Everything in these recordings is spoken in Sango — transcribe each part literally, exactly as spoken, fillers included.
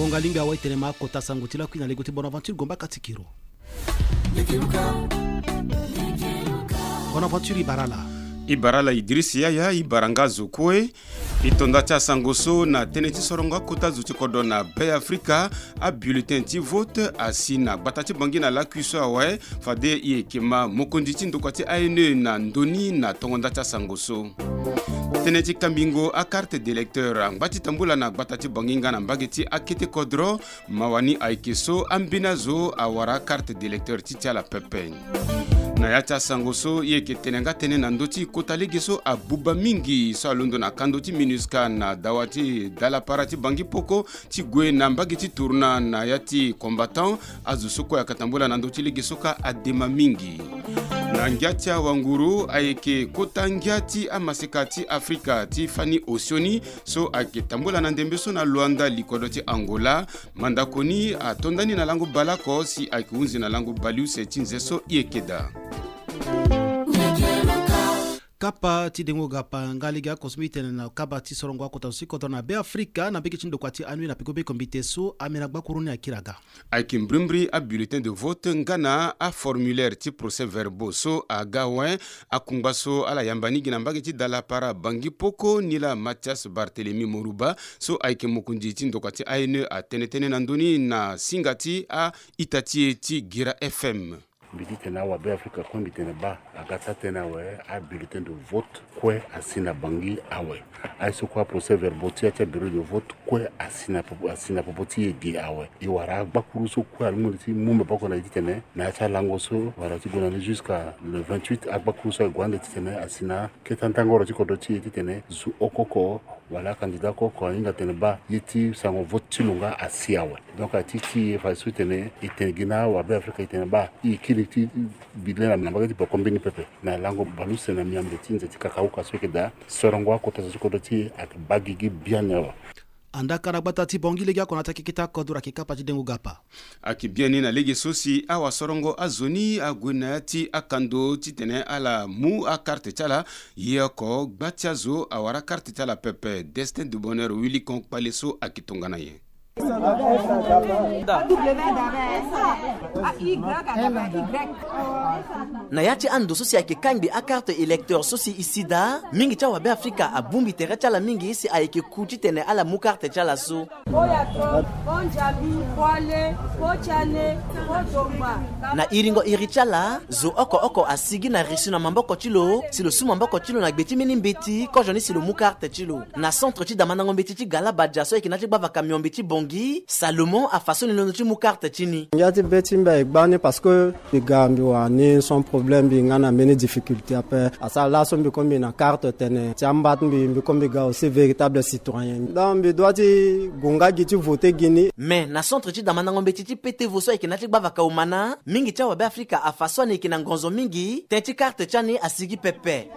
Ngonga lingbi awe tene ma kota sango ti lakui na lego ti Bonaventure Gomba Katikiro. Bonaventure, i bara ala. I bara ala Idriss Yaya, i bara nga azo kue. I to nda ti asango so na tënë ti sorongo akota zo ti kodro na Be Afrika. Abulletin ti vote asi na gbata ti Bangui na lakui so awe. Fade i yeke ma mokonzi ti ndokua ti A N E na ndoni na tongo nda ti asango so. Tënë ti kambingo akarte d'électeur angba ti tambula na gbata ti Bangui nga na mbage ti akete kodro. Mawa ni ayeke so ambeni azo awara akarte d'électeur ti ti ala pepe. Na ya ti asango so i yeke tene nga tënë na ndö ti kota lege so abuba mingi so alondo na kando ti MINUSCA na dawa ti dalapara ti Bangui Poko ti gue na mbage ti tourna na ya ti combattant. Azo so kue ayeke tambula na ndö ti lege so kâ adema mingi. Na ngia ti awanguru ayeke kota ngia ti amaseka ti Afrika ti fani osioni so ayeke tambula na ndembe so na Luanda, likodro ti Angola. Mandako ni ato ndani na lango baleoko si ayeke hunzi na lango baleuse ti nze so i yeke daa. Kapa ti dengo gapa nga lege oko so mbi tene na kaba ti sorongo akota zo ti kodro na Be Afrika na mbage ti ndokua ti A N E na peko be kombite so amena gbakuru ni akiri aga. Ayeke mbrimbri abulletin de vote nga na aformulaire ti procès-verbaux so aga awe. Akungba so ala yamba ni gi na mbage ti dalapara Bangui Poko ni laa Mathias Barthélemy Moruba so ayeke mokonzi ti ndokua ti A N E atene tënë na ndö ni na singa ti a-ita ti e ti Guira F M. Mbi titene awabe Afrika kue mbi tene baa aga ti atënë awe, abulletin de vote kue asi na Bangui awe. Aye so kue aprocès-verbaux ti ya ti abureau de vote kue asi na popo, asi na popo ti e ge awe. E wara agbakuru so kue alingbi ti mu maboko na e titene na ya ti alango so wala ti gue na ni jusqu'à le vingt-huit, agbakuru so ague ande titene asi na kete andangoro ti kodro ti e titene zo oko oko wala acandidat oko oko ahinga tene baa ye ti sango vote ti lo nga asi awe. Donc ati ti e fa so e tene, e tene gi na awabe Afrika e tene baa e kiri ti bi le na mbage ti boko mbeni pepe na lango baleuse na miambe ti nze ti kakauka so e yeke daa. Sorongo akota zo ti kodro ti e ayeke baa gigi biani awe. Andaka na gbata ti Bangui legeoko na ata keke ti akodro ayeke kapa ti dengo gapa. Ayeke biani na lege so si awasorongo azo ni ague na ya ti akando titene ala mu akarte ti ala. Ye oko gba ti azo awara akarte ti ala pepe. Destin de Bonheur Wilikon kpale so ayeke tongana nyen? Na ya ti ando so si ayeke kangbi akarte électeur so si e si daa, mingi ti awabe Afrika abongbi tere ti ala mingi si ayeke ku titene ala mu karte ti ala so. Ko Yato, ko Njabi, ko Ale, ko Tiane, ko Dongba. Na iringo iri ti ala, zo oko oko asigi na reçu na maboko ti lo si lo su maboko ti lo na gbe ti mbeni mbeti kozoni si lo mu karte ti lo. Na centre ti damandango mbeti ti Galabadia so ayeke na ya ti gbavaka miombe ti Bangui, Salomon afa so ni londo ti mu karte ti ni. Ngia ti be ti mbi aye gbani parce que mbi ga mbi wara ni sans problème, mbi nga na mbeni difficulté ape. Asara laso mbi kue mbi na carte tene ti amba ti mbi, mbi kue mbi ga aussi véritable citoyen. Donc mbi doit ti gue nga gi ti voter gi ni. Mais na centre ti damandango mbeti ti Petevo so ayeke na ya ti gbavaka Omana, mingi ti awabe Afrika afa so ani yeke na ngonzo mingi, tënë ti carte ti ani asigi pepe.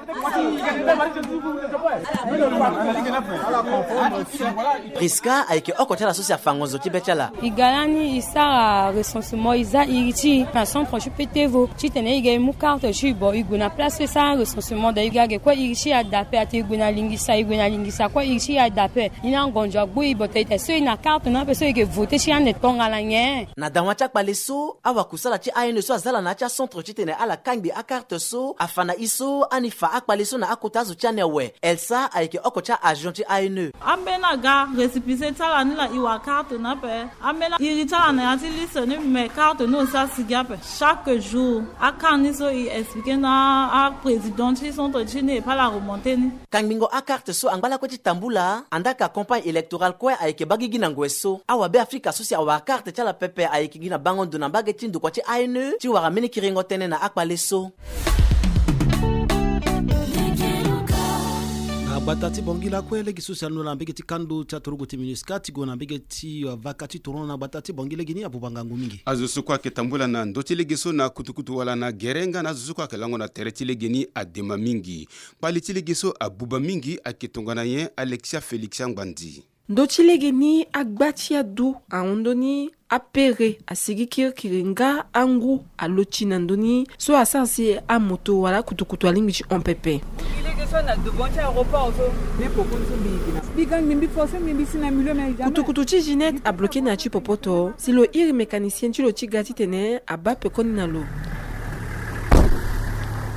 Prisca ayeke oko ti ala so si afa ngonzo ti be ti ala. E ga lani e sara recensement, e za iri ti e na centre ti Petevo titene e ga e mu carte ti e, bon, e gue na place so e sara recensement, da e ga ge kue iri ti e ada ape, ate e gue na lingisa, e gue na lingisa kue iri ti e ada ape. E na ngonzo agbu e, bon, tene so e na carte ni ape so e yeke voter ti e ande tongana nyen? Na dawa ti akpale so, awakusala ti A N E so aza ala na ya ti acentre titene ala kangbi akarte so afa na e so ani fa akpale so na akota azo ti ani awe. Elsa ayeke oko ti a-agent ti A N E. Ambeni aga récépissé ti ala ni laa e wara carte ni ape. Ambeni iri ti ala na ya ti liste ni, mais carte ni aussi asigi ape. Chaque jour akâ ni so e expliqué na aprésident ti centre ti ni et pas la remontée ni. Kangbingo akarte so angba lakue ti tambula, andaka campagne électorale kue ayeke baa gigi na ngoi so. Awabe Afrika so si awara karte ti ala pepe ayeke gi na bango ndo na mbage ti ndokua ti A N E ti wara mbeni kiringo tënë na akpale so. Na gbata ti Bangui lakue, lege so si alondo na mbage ti kando ti aturugu ti MINUSCA ti gue na mbage ti, uh, vaka ti tournon na gbata ti Bangui legeni abuba ngangu mingi. Azo so kue ayeke tambula na ndö ti lege so na kutukutu wala na gere nga na azo so kue ayeke lango na tere ti lege ni adema mingi. Kpale ti lege so abuba mingi ayeke tongana nyen? Alexia Félix Angbandi. Ndö ti lege ni agba ti adu ahon ndö ni apere asigi kirikiri nga angu alo ti na ndö ni so asara si amoto wala akutukutu alingbi ti hon pepe. Lege so na devant ti aéroport so. Mbi poko ni so mbi yeke na Mbi ga ngbimbi forcé ngbimbi si na milieu me jamais. Kutukutu ti Ginette abloqué na ya ti popoto si lo iri mécanicien ti lo ti ga titene abaa pekoni na lo.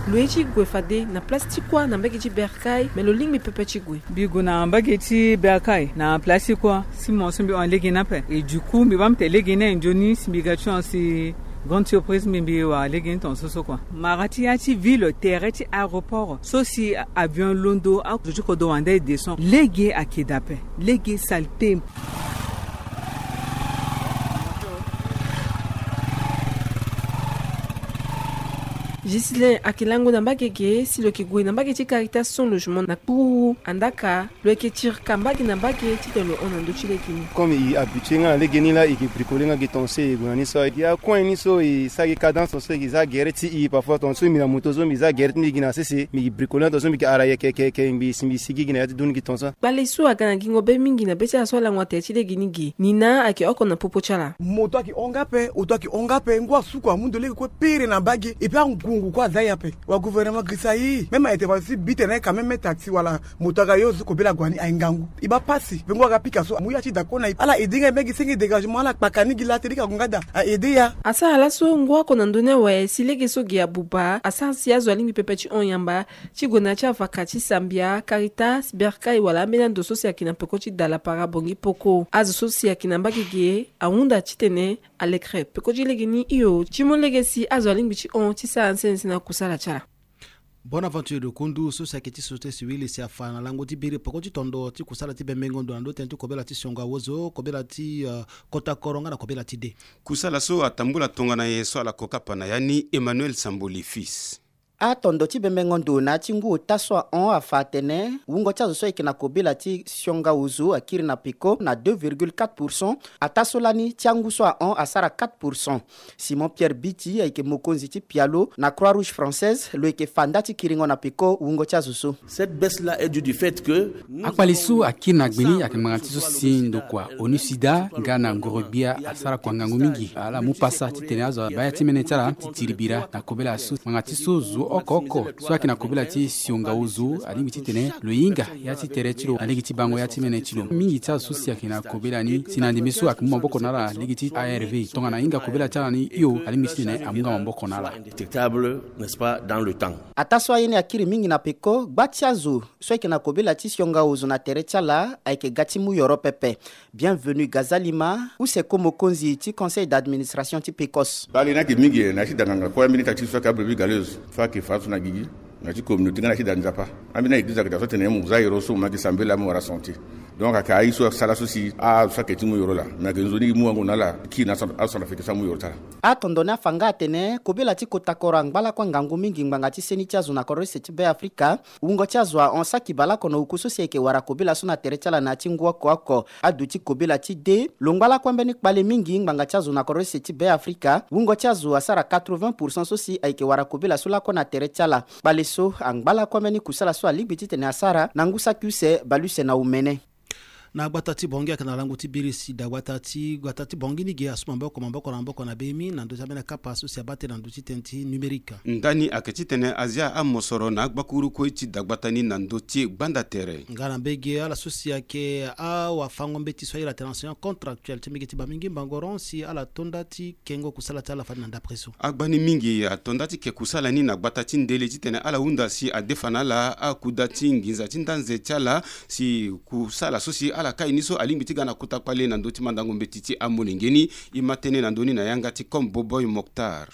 Lo ye ti gue fade na place ti kuâ na mbage ti Bercail, me lo lingbi pepe ti gue. Mbi gue na mbage ti Bercail na place ti kuâ si mo so mbi hon lege ni ape. Et du coup mbi baa mbi tene lege ni aye nzoni si mbi ga ti hon si grande surprise mbi mbi wara lege ni tongaso so kua. Mara ti ya ti ville, tere ti aéroport so si avion londo azo ti kodro wande e descend. Lege ayeke daa ape. Lege saleté. Ghislain ayeke lango na mbage ge si lo yeke gue na mbage ti Caritas Sans Logement na kpuru. Andaa ka lo yeke tirika mbage na mbage titene lo hon na ndö ti lege ni. Comme e habitué nga na lege ni laa, e yeke bricoler nga ge tongaso e gue na ni so. E gi acoin ni so e sara gi cadence tongaso e gi za gere ti e. Parfois tongaso mbi na moto so mbi za gere ti mbi gi na sese mbi gi bricoler nga tongaso mbi gi ara yeke yeke yeke mbi si mbi sigi gi na ya ti duni gi tongaso. Kpale so aga na gingo be mingi na be ti ala so alango na tere ti lege ni ge. Nina ayeke oko na popo ti ala. Moto ayeke hon nga ape, oto ayeke hon nga ape, ngu asuku amu ndo lege kue pere na mbage. Et puis angungu kue aza ye ape. Wa gouvernement girisa e. Même a intervention ti bi tene quand même me taxi wala moto aga yo zo kobela gue na ni aye ngangu. E baa pasi. Mpe ngu aga pika so amu ya ti da kue na e. Ala aidé nga e me gi senge dégagement, ala kpaka ni gi la te lege ague nga daa. A aidé ya. Asara laso ngu oko na ndö ni awe si lege so ge abuba asara si azo alingbi pepe ti hon yamba ti gue na ya ti avaka ti Sambia, Caritas, Bercail wala ambeni ando so si ayeke na peko ti Dalapara, Bangui, Poko. Azo so si ayeke na mbage ge ahunda titene alekere peko ti lege ni hio ti mu lege si azo alingbi ti hon ti sara nse nse na kusala ti ala. Bonaventure Dokundu so si ayeke ti société civile si afa na lango ti biri peko ti tondo ti kusala ti bembengo ndo na ndö tënë ti kobela ti siongo awozo, kobela ti, euh, kota koro nga na kobela ti dé. Kusala so atambula tongana nyen so ala kokapa na ya ni, Emmanuel Samboli Fils. Atondo ti bembengo ndo na ya ti ngu ota so ahon afa atene wungo ti azo so ayeke na kobela ti siongo awozo akiri na peko na deux virgule quatre pour cent. Ataa so lani ti angu so ahon asara quatre pour cent. Simon Pierre Biti ayeke mokonzi ti pialo na Croix Rouge Française, lo yeke fa nda ti kiringo na peko wungo ti azo so. Cette baisse-là est due du fait que nous avons eu une surcharge de travail. Akpale so akiri na gbe ni ayeke ngbanga ti so si ndokua ONUSIDA nga na ngoro-gbia asara kua ngangu mingi. Ala mu pasa titene azo abaa ya ti mene ti ala ti tiri bira na kobela so. Ngbanga ti so zo oko oko so ayeke na kobela ti siongo awozo alingbi titene lo hinga ya ti tere ti lo na lege ti bango ya ti mene ti lo. Mingi ti azo so si ayeke na kobela ni si na ndembe so ayeke mu maboko na ala lege ti A R V. Tongana ahinga kobela ti ala ni hio alingbi titene amu nga maboko na ala. Indétectable, n'est-ce pas, dans le temps. Ataa so aye ni akiri mingi na peko, gba ti azo so ayeke na kobela ti siongo awozo na tere ti ala ayeke ga ti mu yoro pepe. Bienvenu Gazalima, use ko mokonzi ti conseil d'administration ti Pecos. Bale ni ayeke mingi na ya ti da nganga kue, ambeni tâche so ayeke abrebi galeuse so ayeke fa so na gigi na ya ti communauté nga na ya ti da nzapa. Ambeni na église ayeke daa so atene mo za ero so mo ma yeke sambela mo wara santé. Donc ayeke aye so asara so si azo so ayeke ti mu yoro laa me ayeke nzoni e mu wango na ala kiri na acentrafricain so amu yoro ti ala. Atondo ni afa nga atene kobela ti kota koro angba lakue ngangu mingi ngbanga ti seni ti azo na kodro use ti Be Afrika. Wungo ti azo ahon saki baleoko na oku so si ayeke wara kobela so na tere ti ala na ya ti ngu oko oko. Aduti kobela ti dé lo ngba lakue mbeni kpale mingi ngbanga ti azo na kodro use ti Be Afrika. Wungo ti azo asara quatre-vingts pour cent so si ayeke wara kobela so lakue na tere ti ala. Kpale so angba lakue mbeni kusala so alingbi titene asara na ngu saki use baleuse na omene. Na gbata ti Bangui ayeke na lango ti biri si dagbata ti gbata ti Bangui ni ge asu maboko maboko na maboko na bemi na ndö ti ambeni akapa so si abaa tënë na ndö ti tënë ti numérique. Ndani ayeke titene a zia amosoro na agbakuru kue ti dagbata ni na ndö ti gbanda tere. Nga na mbege ala so si ayeke awafango-mbeti so ayeke ira tene enseignant contractuel ti mbege ti Bamingui Bangoran si ala to nda ti kengo kusala ti ala fade na ndapre so. Agbani mingi ato nda ti ke kusala ni na gbata ti ndele titene ala hunda si adefa na ala akuda ti nginza ti ndanze ti ala si kusala so si ala kai ni so alingbi ti ga na kota kpale na ndö ti mandango mbeti ti amolenge ni. E ma tënë na ndö ni na yanga ti Comme Boboy Moctar.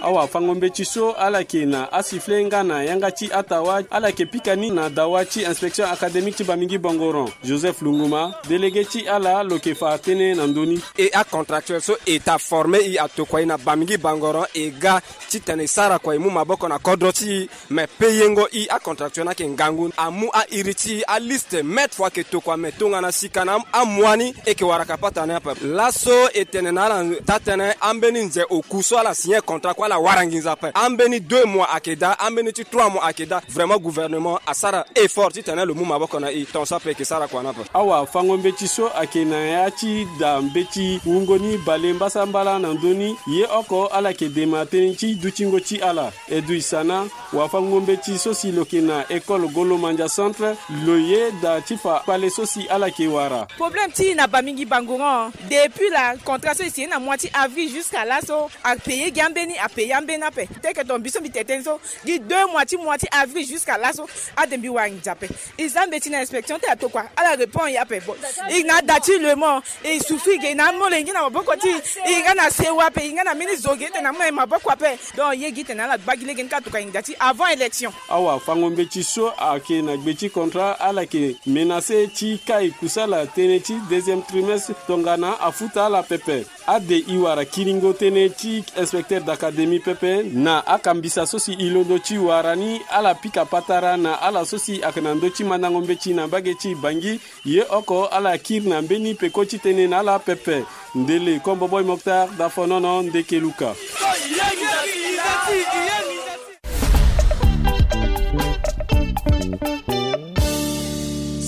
Awafango-mbeti so ala yeke na asifle nga na yanga ti atawa ala yeke pika ni na dawa ti inspection académique ti Bamingui Bangoran. Joseph Lunguma, délégué ti ala lo yeke fa tënë na ndö ni. E acontractuel so e ta forme e atokua e na Bamingui Bangoran e ga titene e sara kua e mu maboko na kodro ti e. Me peyengo e acontractuel ni ayeke ngangu amu airi ti e aliste mètre fo ayeke tokua me tongana sika na amois ni e yeke wara kapata ni ape. Laso e tene na ala taa-tënë ambeni nze oku so ala signé contrat kue. Ala wara nginza ape. Ambeni deux mois ayeke daa, ambeni ti trois mois ayeke daa. Vraiment gouvernement asara effort titene lo mu maboko na e. Tongaso ape e yeke sara kua ni ape. Awafango-mbeti so ayeke na ya ti da mbeti wungo ni bale mbasambala na ndö ni, ye oko ala yeke dema tënë ti dutingo ti ala. Edui Sana, wafango-mbeti so si lo yeke na école Golo Mandia Centre, lo ye da ti fa kpale so si ala yeke wara. Problème ti e na Bamingi Bangoran. Depuis la contrat so e signé na mois ti avril jusqu'à laso, apaye gi ambeni, apaye ambeni ape. Teke ton mbi so mbi tene tënë so, gi deux mois ti mois ti avril jusqu'à laso, ade mbi wara nginza ape. E za mbeti na inspection ti atokua, ala répond e ape. Bon, e na da ti lemo, e souffrir ge, e na amolenge na maboko ti e, e nga na sewa ape, e nga na mbeni zo ge titene amu na e maboko ape. Donc ye gi titene ala gba gi lege ni ka tokua nginza ti avant élection. Awafango-mbeti so ayeke na gbe ti contrat, ala yeke menacé ti kai kusala tënë ti deuxième trimestre tongana afuta ala pepe. Ade e wara kiringo tënë ti inspecteur d'académie pepe na akambisa so si e londo ti wara ni, ala pika patara na ala so si ayeke na ndö ti mandango mbeti na mbage ti Bangi. Ye oko ala kiri na mbeni peko ti tënë na ala pepe. Ndele Kombo Boy Mokhtar, Dafonono, Ndeke Luka.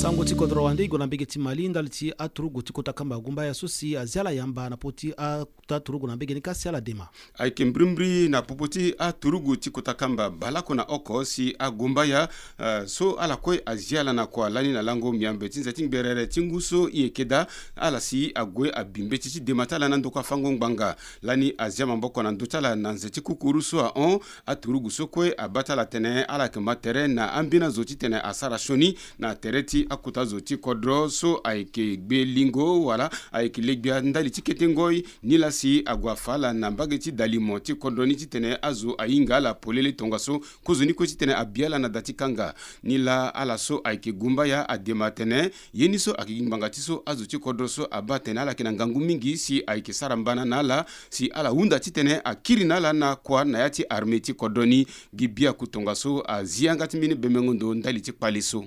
Sango ti kodro wande e gue na mbage ti Mali ndali ti aturugu ti kota kamba gumbaya so si azia ala yamba na popo ti akota turugu na mbage ni ka si ala dema. Ayeke mbirimbiri na popo ti aturugu ti kota kamba baleoko na oko si agumbaya, eh, so ala kue azia ala na kua lani na lango miambe ti nze ti ngberere ti ngu so e yeke daa, ala si ague abi mbeti ti dema ti ala na ndokua fango ngbanga. Lani azia maboko na ndö ti ala na nze ti kukuru so ahon, aturugu so kue abaa ti ala tene ala yeke ma tere na ambeni azo titene asara sioni na tere ti akota zo ti kodro so ayeke gbe lingo wala ayeke le gbia ndali ti kete ngoi. Nilaa si ague afa ala na mbage ti dalimo ti kodro ni titene azo ahinga ala polele tongaso kozoni kue titene abi ala na da ti kanga. Nilaa ala so ayeke gumbaya adema atene ye ni so ayeke gi ngbanga ti so azo ti kodro so abaa atene ala yeke na ngangu mingi si ayeke sara mbana na ala si ala hunda titene akiri na ala na kua na ya ti armée ti kodro ni. Gi biaku tongaso azi yanga ti mbeni bemengo ndo ndali ti kpale so.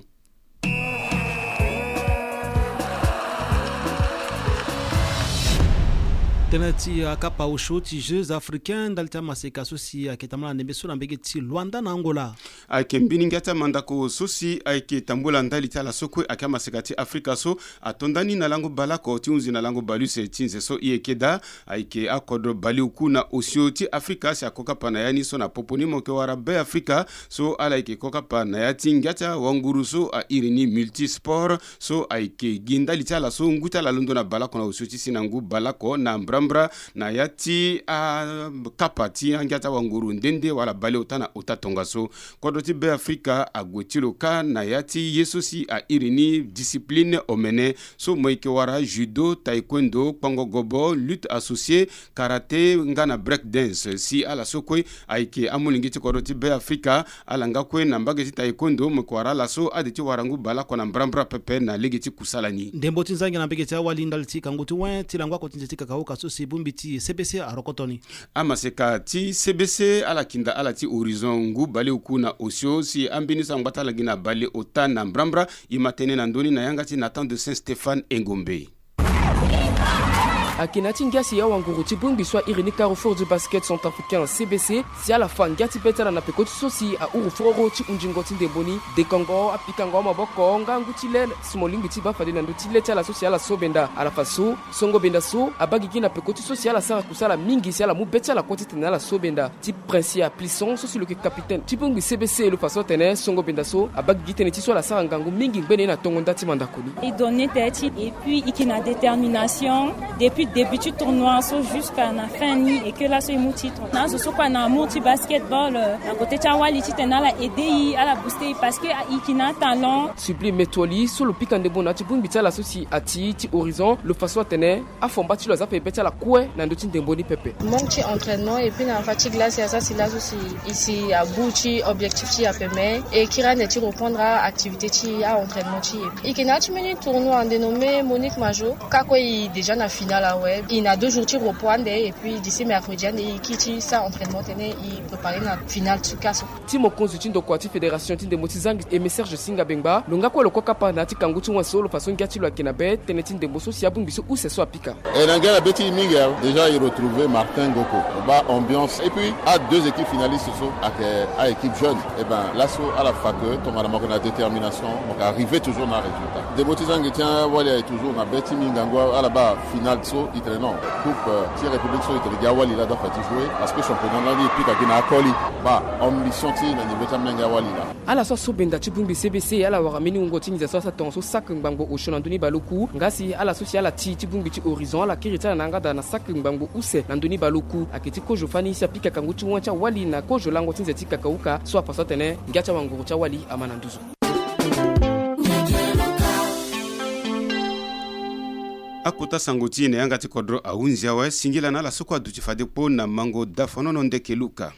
Tënë ti akapa osio ti Jeux africains ndali ti amaseka so si ayeke tambula na ndembe so na mbage ti Luanda na Angola. Ayeke mbeni ngia ti amandako so si ayeke tambula ndali ti ala so kue ayeke amaseka ti Afrika so ato nda ni na lango baleoko ti hunzi na lango baleuse ti nze so e yeke daa. Ayeke akodro baleoku na osio ti Afrika si ako kapa na ya ni so na popo ni mo yeke wara Be Afrika so ala yeke ko kapa na ya ti ngia ti awanguru so a iri ni Multisport so ayeke gi ndali ti ala so ngu ti ala londo na baleoko na osio ti si na ngu baleoko na mbrambra na ya ti akapa ti angia ti awanguru nde nde wala baleota na ota tongaso. Kodro ti Be Afrika ague ti lo kâ na ya ti ye so si a iri ni discipline omene so mo yeke wara judo, taekwondo, kpango gobo, lutte associée, karaté nga na break dance. Si ala so kue ayeke amolenge ti kodro ti Be Afrika, ala nga kue na mbage ti taekwondo mo yeke wara ala so ade ti wara ngu baleoko na mbrambra pepe na lege ti kusala ni. Ndembo ti nzangi na mbage ti awali ndali ti kangu ti wen ti lango oko ti nze ti kakaoka so si bongbi ti C B C arokoto ni. Amaseka ti C B C ala kinda ala ti horizon ngu baleoku na osio si ambeni so angba ti ala gi na baleota na mbrambra. E ma tënë na ndö ni na yanga ti Nathan de Saint Stéphane Engombe. Ayeke na ya ti ngia si awanguru ti bongbi so a iri ni Carrefour du Basket Centrafricain, C B C, si ala fa ngia ti be ti ala na peko ti so si ahuru foro ti hunzingo ti ndembo ni, dekango, apikango amaboko nga ngu ti le si mo lingbi ti baa fade na ndö ti le ti ala so si ala so benda. Ala fa so songo benda so abaa gigi na peko ti so si ala sara kusala mingi si ala mu be ti ala kue titene ala so benda. Ti Princia Plisson so si lo yeke capitaine ti bongbi C B C lo fa so atene songo benda so abaa gigi tënë ti so ala sara ngangu mingi ngbene ye na tongo nda ti mandako ni. E donne tête et puis e yeke na détermination depuis début ti tournoi so jusqu'à na fin ni et que laso e mu titre. Na azo so kue ana amour ti basketball, euh, na côté ti awali titene ala aider e, ala booster e parce que e yeke na atalent. Sublime Metoli so lo pika ndembo na ya ti bongbi ti ala so si ati ti Horizon lo fa so atene afomba ti lo aza ape be ti ala kue na ndö ti ndembo ni pepe. Manque ti entraînement et puis na fatigue la si aza si laso si e si abu ti objectif ti e ape mais e kiri ande ti reprendre a-activité ti e, a-entraînement ti e. E yeke na ya ti mbeni tournoi dénommé Monique Majo, ka kue e déjà na finale. Ouais, il na deux jours ti repos ande, et puis d'ici mercredi ande, il quitte sa entraînement tene, il prépare na finale ti cas. Ti mokonzi ti ndokua ti fédération ti ndembo ti zangi, Aimé Serge Singa Bengba, lo nga kue lo kue kapa na ya ti kangu ti wen so lo fa so ngia ti lo ayeke na be tënë ti ndembo so si abongbi so use so apika. E na ngia na be ti e mingi awe. Déjà e retrouver Martin Ngoko, lo baa ambiance, et puis a deux équipes finalistes so ayeke a équipe jeune. E ben laso ala fa que tongana mo yeke na détermination, mo yeke arriver toujours na résultat. Ndembo ti zangi ti awali aye toujours na be ti mingangu, ala baa finale so e tene non, coupe, euh, ti république so e tene gi awali laa da fa ti jouer, parce que championnat lani e pika gi na akoli. Baa ambition ti e na niveau ti amenge awali laa. Ala so asobenda ti bongbi C B C, ala wara mbeni wungo ti nginza so asara tongaso saki ngbangbo osio na ndö ni baleoku. Nga si ala so si ala ti ti bongbi ti Horizon, ala kiri ti ala na yanga daa na saki ngbangbo use na ndö ni baleoku. Ayeke ti kozo fani si apika kangu ti wen ti awali na kozo lango ti nze ti kakauka so afa so atene ngia ti awanguru ti awali ama na nduzu. Akota sango ti e na yanga ti kodro ahunzi awe. Singila na ala so kue aduti fade kpo na mango dafonono ndeke luka.